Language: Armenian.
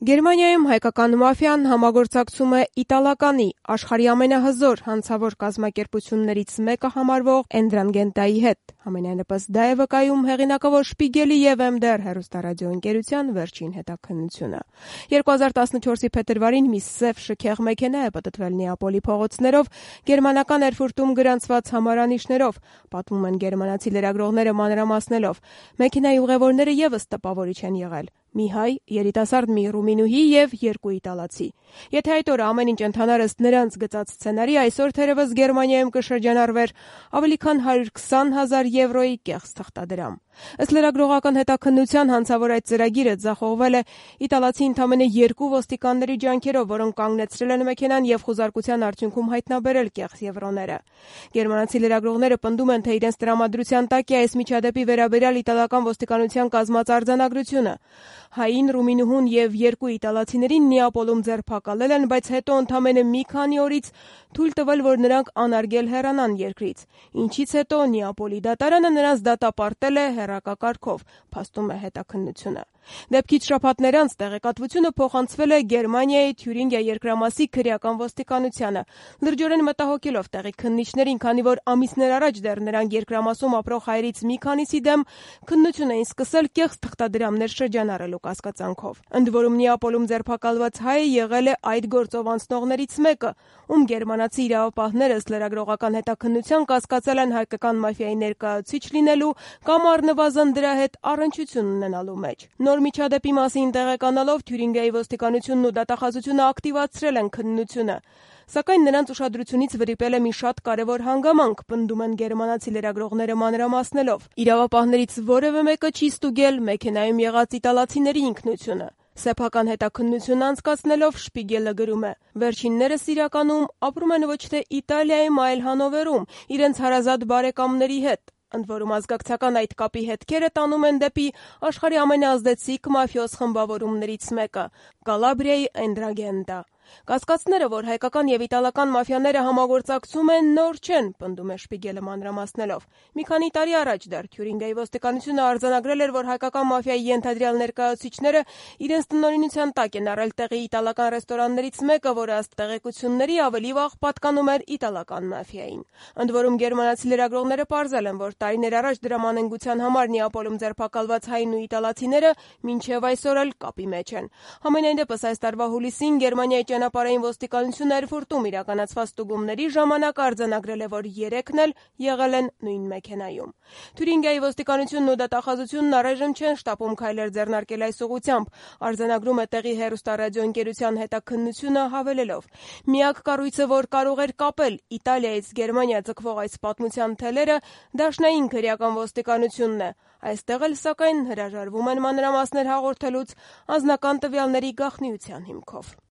Գերմանիայում հայկական մաֆիան համագործակցում է իտալականի, աշխարհի ամենահզոր հանցավոր կազմակերպություններից մեկը համարվող Էնդրանգենտայի հետ։ Համենայնիվս դա է վկայում հեղինակավոր Շպիգելի և MDR հեռուստարադիոընկերության վերջին հետաքննությունը։ 2014-ի փետրվարին մի սև շքեղ մեքենա է պտտվել Նեապոլի փողոցներով գերմանական Էրֆուրտում գրանցված համարանիշներով, պատմում են գերմանացի լրագրողները մանրամասնելով։ Մեքենայի ուղևորները ևս տպավորիչ են եղել։ Մի հայ, երիտասարդ մի ռումինուհի և 2 իտալացի։ Եթե այդ օրը ամեն ինչ ընթանար ըստ նրանց գծած սցենարի, այսօր թերևս Գերմանիայում կշրջանառվեր ավելի քան 120,000 եվրոյի կեղծ թղթադրամ։ Ըստ լրագրողական հետաքննության հանցավոր այդ ծրագիրը ձախողվել է իտալացի ընդամենը 2 ոստիկանների ջանքերով, որոնք կանգնեցրել են մեքենան և խուզարկության արդյունքում հայտնաբերել կեղծ եվրոները։ Գերմանացի լրագրողները պնդում են, թե իրենց տրամադրության տակ է այս միջադեպի վերաբերյալ իտալական ոստիկանության կազմած արձանագրությունը։ Հային, ռումինուհուն և 2 իտալացիներին Նեապոլում ձերբակալել են, բայց հետո ընդամենը մի քանի օրից թույլ տվել, որ նրանք անարգել հեռանան երկրից, ինչից հետո Նեապոլի դատարանը նրանց դատապարտել է հեռակակարգով, փաստում է հետաքննությունը։ Դեպքից շաբաթներ անց տեղեկատվությունը փոխանցվել է Գերմանիայի Թյուրինգիա երկրամասի քրեական ոստիկանությանը, լրջորեն մտահոգելով տեղի քննիչներին, քանի որ ամիսներ առաջ դեռ նրանք երկրամասում ապրող հայերից մի քանիսի դեմ քննություն էին սկսել կեղծ թղթադրամներ շրջանառելու կասկածանքով։ Ընդ որում Նեապոլում ձերբակալված հայը եղել է այդ գործով անցնողներից մեկը, ում գերմանացի իրավապահները ըստ լրագրողական հետաքննության կասկածել են հայկական մաֆիայի ներկայացուցիչ լինելու կամ առնվազն դրա հետ առնչություն ունենալու մեջ։ Նոր միջադեպի մասին տեղեկանալով Թյուրինգիայի ոստիկանությունն ու դատախազությունը ակտիվացրել են քննությունը, սակայն նրանց ուշադրությունից վրիպել է մի շատ կարևոր հանգամանք, պնդում են գերմանացի լրագրողները մանրամասնելով։ Իրավապահներից որևէ մեկը չի ստուգել մեքենայում եղած իտալացիների ինքնությունը։ Սեփական հետաքննություն անցկացնելով Շպիգելը գրում է. «Վերջիններս իրականում ապրում են ոչ թե Իտալիայում, այլ Հանովերում, իրենց հարազատ բարեկամների հետ։ Ընդ որում ազգակցական այդ կապի հետքերը տանում են դեպի աշխարհի ամենաազդեցիկ մաֆիոզ խմբավորումներից մեկը՝ Կալաբրիայի Էնդրանգենտա։ Կասկածները, որ հայկական և իտալական մաֆիաները համագործակցում են, նոր չեն», պնդում է Շպիգելը մանրամասնելով։ Մի քանի տարի առաջ դեռ Թյուրինգիայի ոստիկանությունը արձանագրել էր, որ հայկական մաֆիայի ենթադրյալ ներկայացուցիչները իրենց տնօրինության տակ են առել տեղի իտալական ռեստորաններից մեկը, որը ըստ տեղեկությունների ավելի վաղ պատկանում էր իտալական մաֆիային։ Ընդ որում գերմանացի լրագրողները պարզել են, որ տարիներ առաջ դրամ անհնգության համար Նեապոլում ձերբակալված հային ու իտալացիները մինչև այսօր էլ կապի մեջ են։ Համենայնդեպս այս տարվա հուլիսին Գերմանիայի ճանապարհային ոստիկանությունը Էրֆուրտում իրականացված ստուգումների ժամանակ արձանագրել է, որ 3-ն էլ եղել են նույն մեքենայում։ Թյուրինգիայի ոստիկանությունն ու դատախազությունն առայժմ չեն շտապում քայլեր ձեռնարկել այս ուղղությամբ, արձանագրում է տեղի հեռուստարադիոընկերության հետաքննությունը հավելելով. «Միակ կառույցը, որ կարող էր կապել Իտալիայից Գերմանիա ձգվող այս պատմության թելերը, դաշնային քրեական ոստիկանությունն է։ Այստեղ էլ, սակայն, հրաժարվում են մանրամասներ հաղորդելուց անձնական տվյալների գաղտնիության հիմքով»։